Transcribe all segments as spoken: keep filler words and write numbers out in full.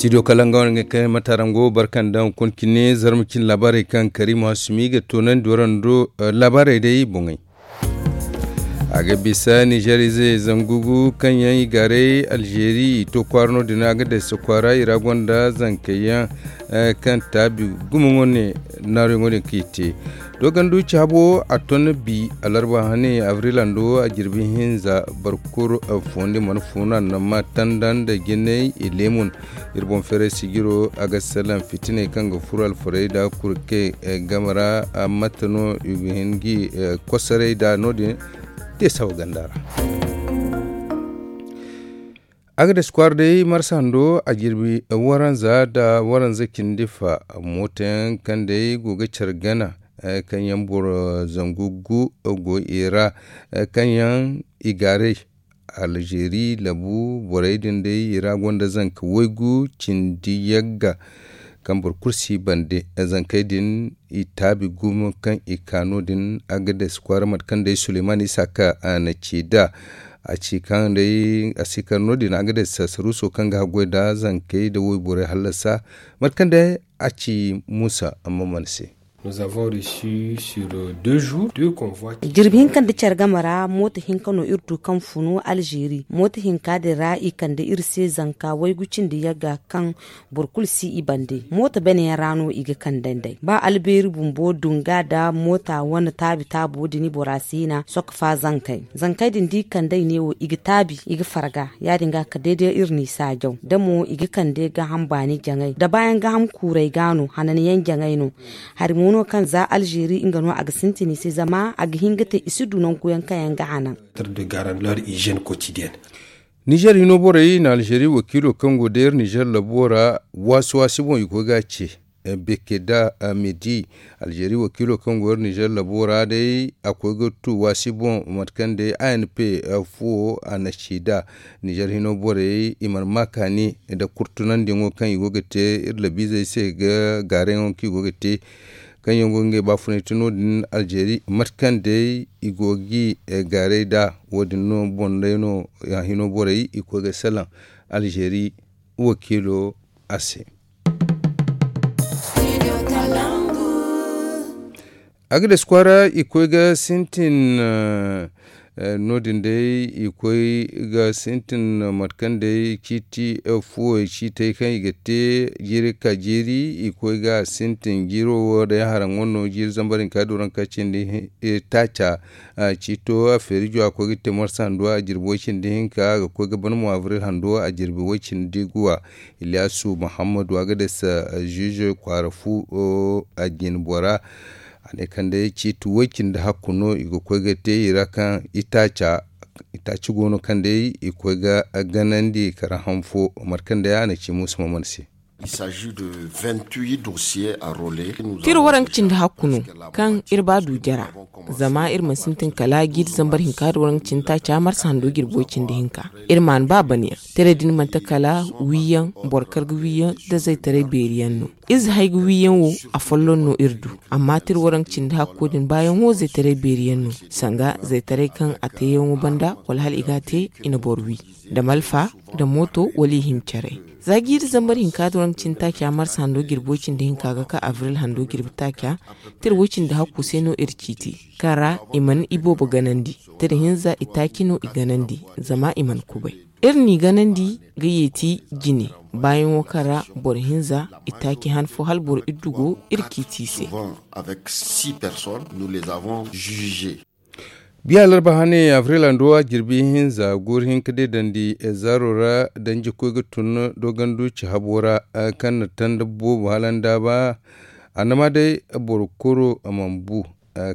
Studio kala nga wane ga kay matarango barkan da hunkuna cine zarma cine laabaarey kaŋ kariima hasumi ga toonandi warando. Laabaarey day boŋey. A ga bisa nizer ize zangu gu kaŋ yaŋ i gaaray alzeeri i to kwaara no- din a ga daysa kwaara i ra gonda zankey yaŋ kaŋ taabi gumo wane naaruyaŋo din kaŋ i te. Dogandu cahabo a ton bi alarba hane abril hando a jirbi hinza barkuru. Fondi mana funa nama tanda nda jinay i leemun. Iri boŋ feeray sijiro a ga salaŋ fitiney kaŋ ga furo alfarey da kurke game ra. Mate no i ga hin ga i kosoray da no- din te sawa ganda ra. A ga dasi kwaara day marsa hando a jirbi waranza nda waranza cindi fa. Mooto yaŋ kaŋ day go ga care gana kaŋ yaŋ boro zangu gu go i ra kaŋ yaŋ i gaaray alzeeri labu borey din day i ra gonda zanka waygu cindi yagga kaŋ boro kulu si bande. Zankey din i taabi gumo kaŋ i ka no- din a ga dasi kwaara mate kaŋ day suleyman isa ka na ci da a ci kaŋ day a si kar no- din a ga day sasaruso kaŋ ga haggoy da zankey da wayborey hallasa mate kaŋ day a ci muusa amma mana se. Jirbi hinka nda care game ra mooto hinka no iri du kaŋ funu alzeeri mooto hinka din ra i kande iri se zanka waygu cindi yagga kaŋ boro kulu si i bande mooto bane yaŋ ra no i ga kande nd'ey ba albeeri bumbo dunga nda moota wane taabi taabo din bora si na soka fa zankey zankey din da i kandey neewo i ga taabi i ga farga ya- din ga ka dayday iri n'i saajaw da mo i ga kande gaaham baani jaŋay da baayaŋ gaaham kuurey ga no hananyaŋ jaŋay no. Hari mo no kaŋ za alzeeri nga no a ga sintin i se zama a ga hin ga te i si du nangu yaŋ kaŋ yaŋ ga hanan. Nizer hino borey na alzeeri wakiilo kaŋ go day iri nizer labo ra waasi waasi boŋ i koy ga a ce. Beke da medi alzeeri wakiilo kaŋ go iri nizer labo ra day a koy ga tu waasi boŋ mate kaŋ day a n p fuwo a na ci da nizer hino borey i mana ma kaani nda kurtunandiyaŋo kaŋ i go ga te iri labiizey se ga gaarayaŋo kaŋ i go ga te kaŋ yaŋ go ga ngey baafunay te no- din alzeeri mate kaŋ day i go ga i gaaray nd'a. Wo- din no boŋ day no hino borey i koy ga salaŋ alzeeri wakiilo a se. A ga dasi kwaara i koy ga sintin no- din day i koy ga sintin mate kaŋ day ciiti fuwey ciitey kaŋ i ga te jiiri ka jiiri i koy ga a sintin jiiro wo day haraŋo no jiiri zambar hinka duranka cindi taaca. Ciito a feeri jo a koy ga te marsa hando a jirbi way cindi hinka a ga koy ga ban mo abril hando a jirbi way cindi guwa. Iliyaasu muhammadu a ga dasa ziize kwaara fu a jine bora. A ne kaŋ day ciiti way cindi hakku no i ga koy ga te i ra kaŋ itaaca itaaci go no kaŋ day i koy ga ganandi kara han fo. Mate kaŋ day a na ci muusa mamman se. Tira waranka cindi hakku no kaŋ iri ba du jara. Zama iri mana sintin kala jiiri zambar hinka da waranka cindi taaca marsa hando jirbo cindi hinka. Iri mana ba bana yaŋ tira din manti kala wiiyaŋ boro kaŋ ga wiiyaŋ da zaytaray beeri yaŋ no. Ize hay ga wiiyaŋ wo a folloŋ no iri du. Amma tira waranka cindi hakko din baayaŋo zaytaray beeri yaŋ no. Sanga zaytaray kaŋ a teeyaŋo banda wala hala i ga a te i na boro wi da malfa da mooto wala i hima care. Za jiiri zambar hinka da waranka cindi taaca marsa hando jirbo cindi hinka ga ka abril hando jirbi taaca. Tira way cindi hakku se no iri ciiti kaŋ ra i mana iboobo ganandi. Tira hinza itaaci no i ganandi zama i mana kubay. Iri n'i ganandi ga yeeti jine baayaŋo kaŋ ra boro hinza itaaci han fo hala boro iddu go iri ciiti i se. Biya larba hane abril hando a jirbi hinza goori hinka deedandi zaaro ra danji koy ga tun dogandu cahabo ra kaŋ na tanda boobo hala nda ba. Annama day boro koro a mana bu.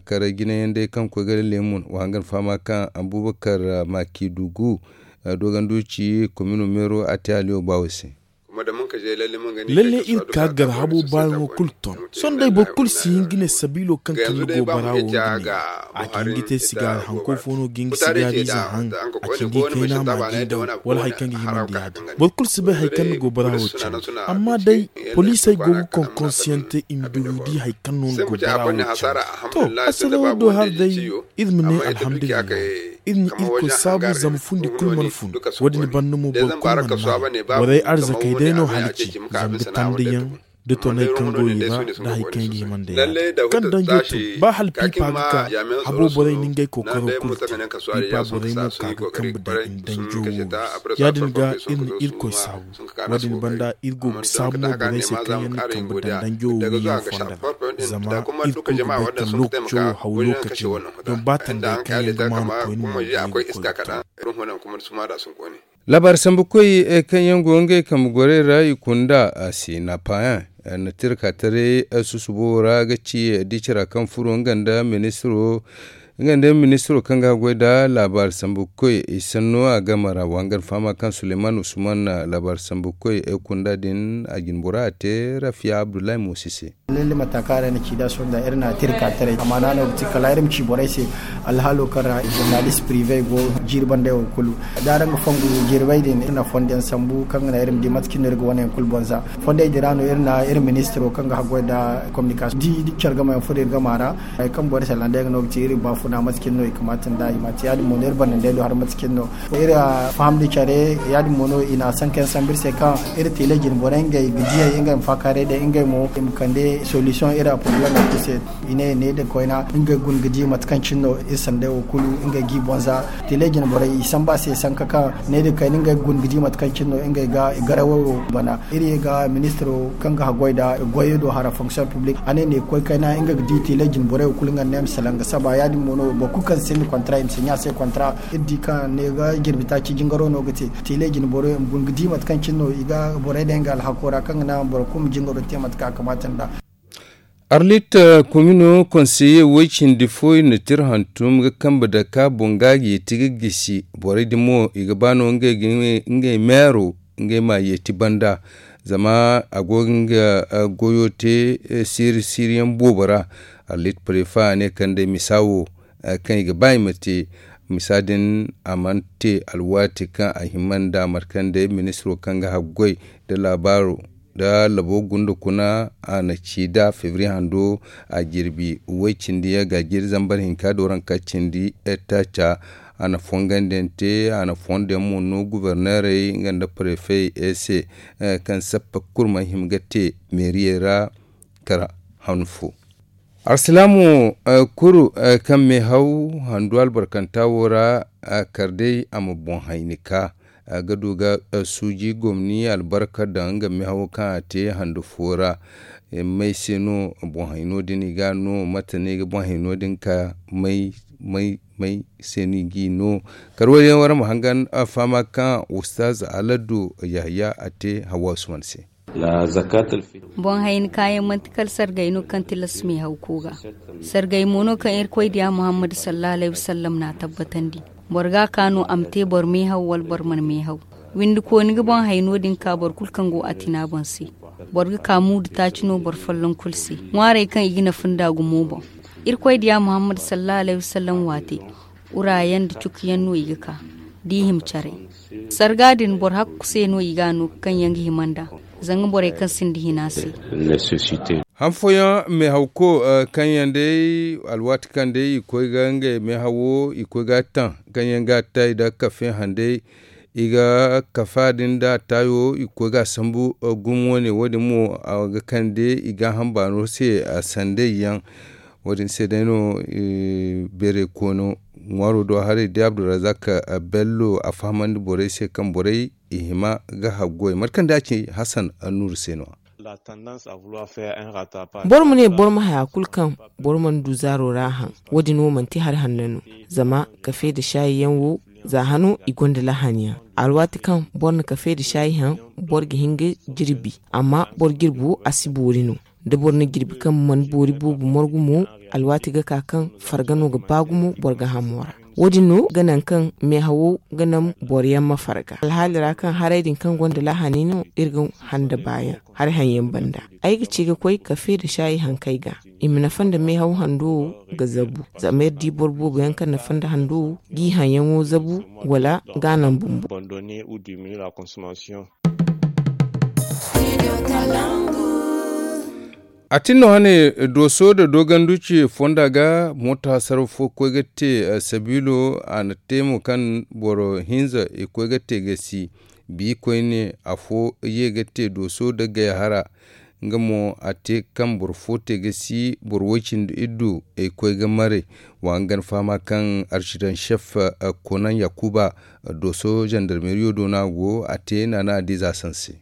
Kare jinayaŋ day kaŋ koy ga leemun wa hangan fama kaŋ abubakar makidugu dogandu ci komino meero a te aliyo baawo se. Lalle iri ka gar habo baayaŋo kulu ton sohõ day boro kulu si hin ga ne sabiilo kaŋ kande go bara wo nga ne. A ga hin ga te sigaari hanko fo no ga hin ga sigaari ize haŋ a cindi kayna ma di daw wala hari kaŋ ga himandi ya-din boro kulu si bay hari kaŋ ni go bara wo cindi. Amma day poliisey go ga konkonsiyaŋ te i ma du ga di hari kaŋ no ni go bara wo cindi. To asalawo do hari day iri ma ne alhamdulillahi. Iri na irkoy saabu zama fundi kulu mana fun. Wo- din banda mo boro kulu mana naana borey arzakey day no halaci, zama ga tanda yaŋ da toney kaŋ go i ra, da hari kaŋ i ga hima nda yaadin kaŋ danjo tun ba hala piipa ga ka. Habo borey na ngey kookaro kulu te. Piipa borey mo ka ga kambe daŋ i na danjo wo wi. Yaadin ga iri na irkoy saabu. Wo- din banda iri go ga saabu mo borey se kaŋ yaŋ na kambe daŋ danjo wo wi yaŋ fonda ra. Zama iri kulu ga bay kaŋ lookaco wo haw lookaci no. Don ba tandey kaŋ yaŋ ga maanu koyne mo ga ye ga koy ga to. Laabaari sambukoy kaŋ yaŋ go ngey kambe gorey ra i kunda a se napayan na tirka taray susubo wo ra ga ci dicira kaŋ furo nga nda ministiro kaŋ ga goy nda laabaari sambukoy i sanno a game ra wa nga na fahama kaŋ suleyman usman na laabaari sambukoy kunda din a jinbora a te rafiya abdullahi moosi se. Lalle mata kaŋ a ra iri na ci da sohõ da iri na tirka taray amaana no ga ti kala iri ma ci borey se alhaalo kaŋ ra zurnalist prive go jiiri banda yaŋ kulu da araŋ ga fongu jirbey din iri na fondo yaŋ sambu kaŋ ga naŋ iri ma di mate cine no iri ga wane yaŋ kulu boŋ za. Fondey din ra no iri na iri ministiro kaŋ ga haggoy nda communication di care gama yaŋ furo iri gama ra. Hari kaŋ borey se landa yaŋ ga no ga ti iri baafuna mate cine no i kamata nda i ma te ya- din mo no iri banda nd'ey do hari mate cine no iri faham da care. Ya- din mo no i na sanka yaŋ sambu iri se kaŋ iri tele jine borey ngey ga diyey ngey ma faakaaray day ngey mo i ma kande solution iri a problème yaŋ kulu se. I ne ne din koyna ngey guna ga di mate kaŋ cine no iri sanday wo kulu ngey ga i boŋ za. Tele jine borey i samba se sanka kaŋ ne din kayna ngey guna ga di mate kaŋ cine no ngey ga i garawey wo bana. Iri ye ga ministiro kaŋ ga haggoy nda goyo do hara fonction publique a ne ne koy kayna ngey ga di tele jine borey wo kulu nga ne ma salaŋ ga saba ya- din mo no boro kulu kaŋ sinda kontra i ma si ɲa se kontra. Iri di kaŋ ne ga jirbi taaci jingaro no ga te tele jine borey ma guna ga di mate kaŋ cine no i ga borey day nga alhako ra kaŋ ga naŋ boro kulu ma jingaro te mate kaŋ a kamata nda. Arlit komino konseye way cindi fo i na tira hantum ga kambe daka boŋ ga a ga yeeti ga gisi borey din mo i ga ba no ngey meero ngey ma yeeti banda. Zama a go ga nga goyo te siiri siiri yaŋ boobo ra. Arlit prefa a ne kande misa wo kaŋ i ga ba i ma te misa din a mana te alwaati kaŋ a hima nda markande ministiro kaŋ ga haggoy nda laabaaro nda labo gunda kuna a na ci da febri hando a jirbi way cindi ya ga jiri zambar hinka do ranka cindi taaca. A na fongandiyaŋ te a na fondiyaŋ mo no guberneerey nga nda prefey se kaŋ sappa kurma hima ga te meeriyey ra kara han fo. Alsilaamu kuru kaŋ meehaw handu albarkanta wo ra kar day a ma boŋ hayni ka ga du ga suuji gomni albarka daŋ nga meehaw kaŋ a te handu fo ra. May se no boŋ hayno din i ga no mate no i ga boŋ hayno din ka may may may se no i g'i no. Kar wo- din wara ma hangan fahama kaŋ ustaz aladu yahaya a te hawa usman se. Boŋ hayni kaayaŋ manti kala sargay no kaŋ tilas meehaw ko ga. Sargay mo no kaŋ irkoy diya muhammad sallallahu alayhi wasallam na a tabbatandi. Boro ga a ka no a ma te boro meehaw wala boro mana meehaw. Windi kooni ga boŋ hayno din ka boro kulu kaŋ go a tina boŋ se. Boro ga ka muudu taaci no boro folloŋ kulu se ŋwaarey kaŋ i ga nafa nda gumo boŋ. Irkoy diya muhammad sallallahu alayhi wasallam waate. Urayaŋ da cukuyaŋ no i ga ka da i hima caray. Sarga din boro hakku se no i ga a no kaŋ yaŋ ga hima nd'a zanga borey kaŋ sinda hina se. Han fooyaŋ meehawko kaŋ yaŋ day alwaati kaŋ day i koy ga ngey meehawo i koy ga a taŋ kaŋ yaŋ ga a tay nda kafe handay. I ga kafa din da a tayo i ga koy ga a sambu gumo wane wo- din mo a ga kande i ga hamba no se a sanday yaŋ. Wo- din se day no beeray koono ŋwaaro do haray da abdulrazak bello a fahamandi borey se kaŋ borey i hima ga haggoy mate kaŋ da a ci hasan annuuru se no. Boro ma ne boro ma haya kulu kaŋ boro mana du zaaro ra haŋ. Wo- din wo manti hari hanno no zama kafe nda saayi yaŋ wo za hano i gonda lahani yaŋ. Alwaati kaŋ boro na kafe nda saayi haŋ boro ga hin ga jirbi. Amma boro jirbi wo a si boori no. Da boro na jirbi kaŋ mana boori boobo morgu mo alwaati ga ka kaŋ farga no ga ba gumo boro ga hamo ra. Wo- din no ga naŋ kaŋ meehawo ga naŋ boro yaŋ ma farga alhaali ra kaŋ haray din kaŋ gonda lahani no iri ga handa baayaŋ. Hari haŋ yaŋ banda ay ga ci ga koy kafe nda saayi hankey ga i ma nafa nda meehaw hando wo ga zabu. Zama iri di boro boobo yaŋ kaŋ nafa nda hando wo g'i haŋ yaŋo zabu wala ga a naŋ bumbo. A tin no hane, dooso nda dooganduci fonda ga mooto hasaraw fo koy ga te sabiilo a na te mo kaŋ boro hinza i koy ga te ga si bi koyne afo ye ga te dooso nda gay hara. Nga mo a te kaŋ boro fo te ga si boro way-cindi iddu ay koy ga maray. Wa nga ga ni fahama kaŋ arsidan sef konan yakuba dooso zandarmeriyo do no a go a te naana a diiza sanse.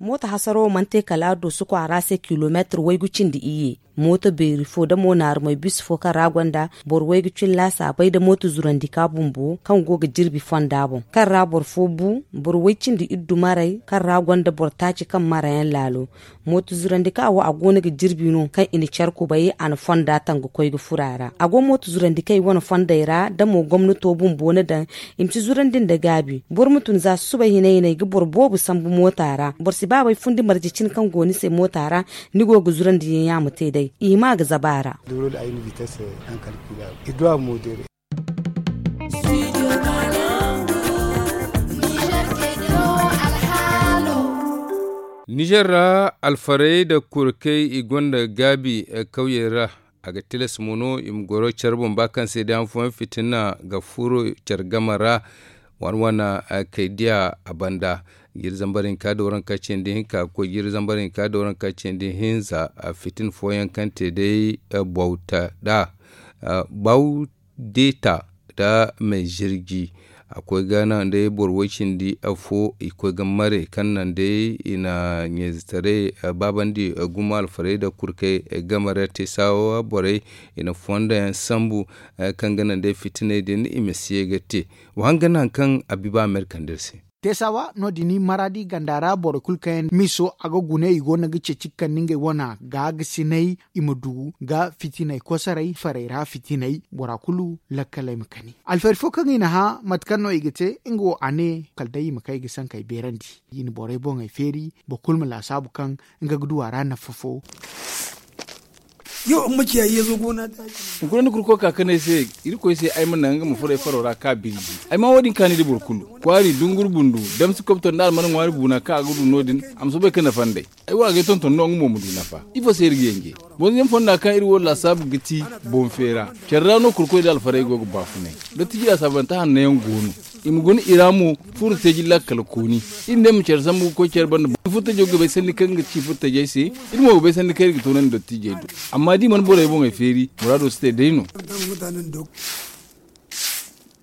Mooto hasaro mana te kala dooso kwaara se kilomeetir waygu cindi iyye. Mooto beeri fo da mo naarumay bis fo kaŋ ra gonda boro waygu cin laasaabay nda mooto zurandi ka bumbo kaŋ go ga jirbi fonda boŋ kaŋ ra boro fo bu boro way-cindi iddu maray kaŋ ra gonda boro taaci kaŋ marayaŋ laalo. Mooto zurandi kaŋ a wo a go no ga jirbi no kaŋ i na care kubay a na fonda taŋ ga koy ga furo a ra a go mooto zurandi kaŋ i wane fondey ra da mo gomnato bumbo na daŋ. I ma si zurandi nda gaabi boro ma tun za susubay hinay hinay ga boro boobo sambu moota ra boro si baabay fundi marje cine kaŋ go ni se moota ra. Ni go ga zurandi yaŋ ya ma te day i hima ga zaba a ra. Nizer ra alfarey nda kurkey i gonda gaabi kawyey ra. A ga tilas mo no i ma goro care boŋ ba kaŋ se day han fooyaŋ fitina ga furo care game ra. Wane wane kay diya a banda jiiri zambar hinka da waranka cindi hinka ga koy jiiri zambar hinka da waranka cindi hinza. Fitin fooyaŋ kaŋ te day bawta da bawdeta da me zirji a koy ga naŋ day boro way-cindi fo i koy ga mare kaŋ naŋ day i na ɲeezitaray baabandi gumo alfarey nda kurkey game ra te saawa borey. I na fonda yaŋ sambu kaŋ ga naŋ day fitiney din i ma si ye ga te. Wa hanga naŋ kaŋ a bi ba amerika nda iri se. Teesawa no- din maraadi ganda ra boro kulu kaŋ yaŋ miso a ga gune i go no ga ceeci kaŋ ni ngey wana ga ga sinay i ma du ga fitinay kosoray farey ra fitinay bora kulu lakkaley ma kani. Alfari fo kaŋ i na hã mate kaŋ no i ga te nga wo a ne kala day i ma kay ga sankey beerandi. I na borey boŋey feeri boro kulu ma laasaabu kaŋ nga ga du a ra nafa fo. Yo amma ciya yeezo gona ta. Hunkuna ni kurko ka kanay se irkoy se ay ma naŋ nga ma furo ay faro ra ka birji. Ay ma wo- din kaani da boro kulu kwaari dungur bundu damsi kobto nda almana ŋwaari buuna kaŋ a ga du no- din. A ma soobay ka nafa nd'ay. Ay wo a ga ay tonton no nga mo ma du nafa. Ifo se iri ga yanje? Boŋ yaŋ fonda kaŋ iri wo laasaabu ga ti boŋ feera. Care ra no kurkoy da alfarey go ga baafunay. Dottiji laasaabantahan no yaŋ go no. I ma guna i ra mo furo teeji lakkal kooni. Iri ne ma care sambu ga koy care banda furo teejo ga bay sanni kaŋ ga ci furo teejey se. Iri mo ga bay sanni kaŋ iri ga toonandi dottijey do. Amma da i mana borey boŋey feeri muraado si te day no.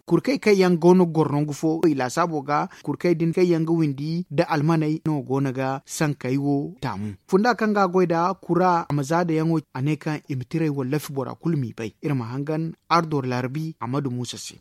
Kurkey kaŋ yaŋ go no ga goro nangu fo i laasaabo ga kurkey din kaŋ yaŋ ga windi nda almaney no go no ga sankey wo taamu. Funda kaŋ ga a goy nda kura a ma zaada yaŋo a ne kaŋ i ma tirey wallafi bora kulu m'i bay iri ma hangan ardo larbi amadu muusa se.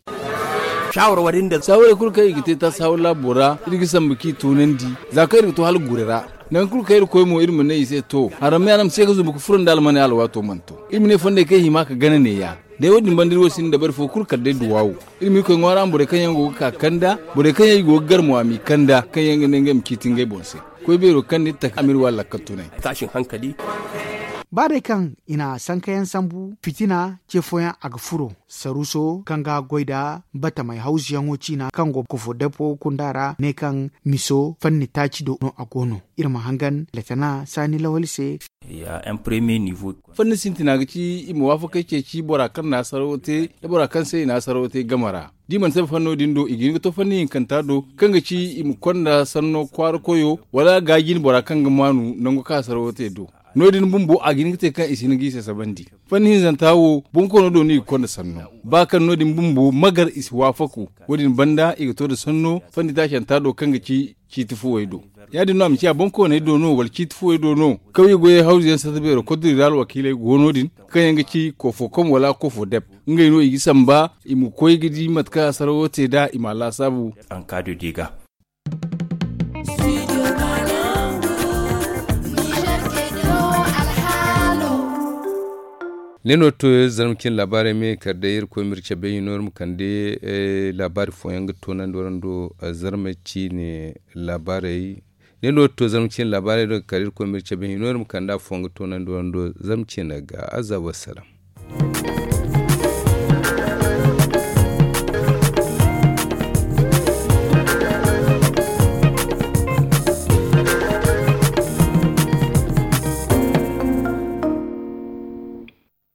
Saawara kulu kaŋ i ga te taasi hawar laabo ra iri ga sambu k'i toonandi za kaŋ iri ga to hala gure ra. Nangu kulu kaŋ iri koy mo iri ma ne i se to haram me a na ma se ga zumbu ga furo nda almaney alwaato mana to. Iri ma ne fondey kaŋ i hima ga gana neeya. Day wo- din banda iri wo sinda dabari fo kulu kala day duwaawo. Iri ma iri koy ŋwaara ma borey kaŋ yaŋ go ga ka kanda borey kaŋ yaŋ i go ga gar mo a m'i kanda kaŋ yaŋ ga ne ngey ma ciiti ngey boŋ se. Koy beero kaŋ n'iri taka a m'iri waala lakkal tunay. Ba day kaŋ i na sankayaŋ sambu fitina ce fooyaŋ a ga furo saruso kaŋ ga goy nda batamey hawzuyaŋo ciina kaŋ go kofo depo kunda ra ne kaŋ miso fanni taaci do no a go no. Iri ma hangan letana saani lawali se. Fanni sintina ga ci i ma waafakey ceeci bora kaŋ na sarawo te nda bora kaŋ se i na sarawo te game ra. Da i mana saba fanno din do i ga hin ga to fanni hinkanta do kaŋ ga ci i ma konda sanno kwaara koyo wala gaajin bora kaŋ ga maanu nango kaŋ a sarawo te do. No- din bumbo a ga hin ga te kaŋ i si hin ga i sasabandi. Fanni hinzanta wo bonkoono do no i ga konda sanno ba kaŋ no- din bumbo magar i si waafaku. Wo- din banda i ga to nda sanno fanni taasanta do kaŋ ga ci ciiti fuwey do. Ya- din no a ma ciya boŋ kooney do no wala ciiti fuwey do no kawye goyey hawzu yaŋ sata beero kodiri ra alwakiiley go no- din kaŋ yaŋ ga ci kofokom wala kofodeb. Ngey no i ga samba i ma koy ga di mate kaŋ a sarawo te nd'a i m'a laasaabu. Ankaado di ga. Ne no to zarma cine laabaarey me kala day irkoy ma iri cabe hino iri ma kande laabaari fooyaŋ ga toonandi warando. Zarma cine laabaarey ne no to zarma cine laabaarey do ga kala irkoy ma iri cabe hino iri ma kande afooyaŋ ga toonandi warando. Zarma cine ga aza wassalam.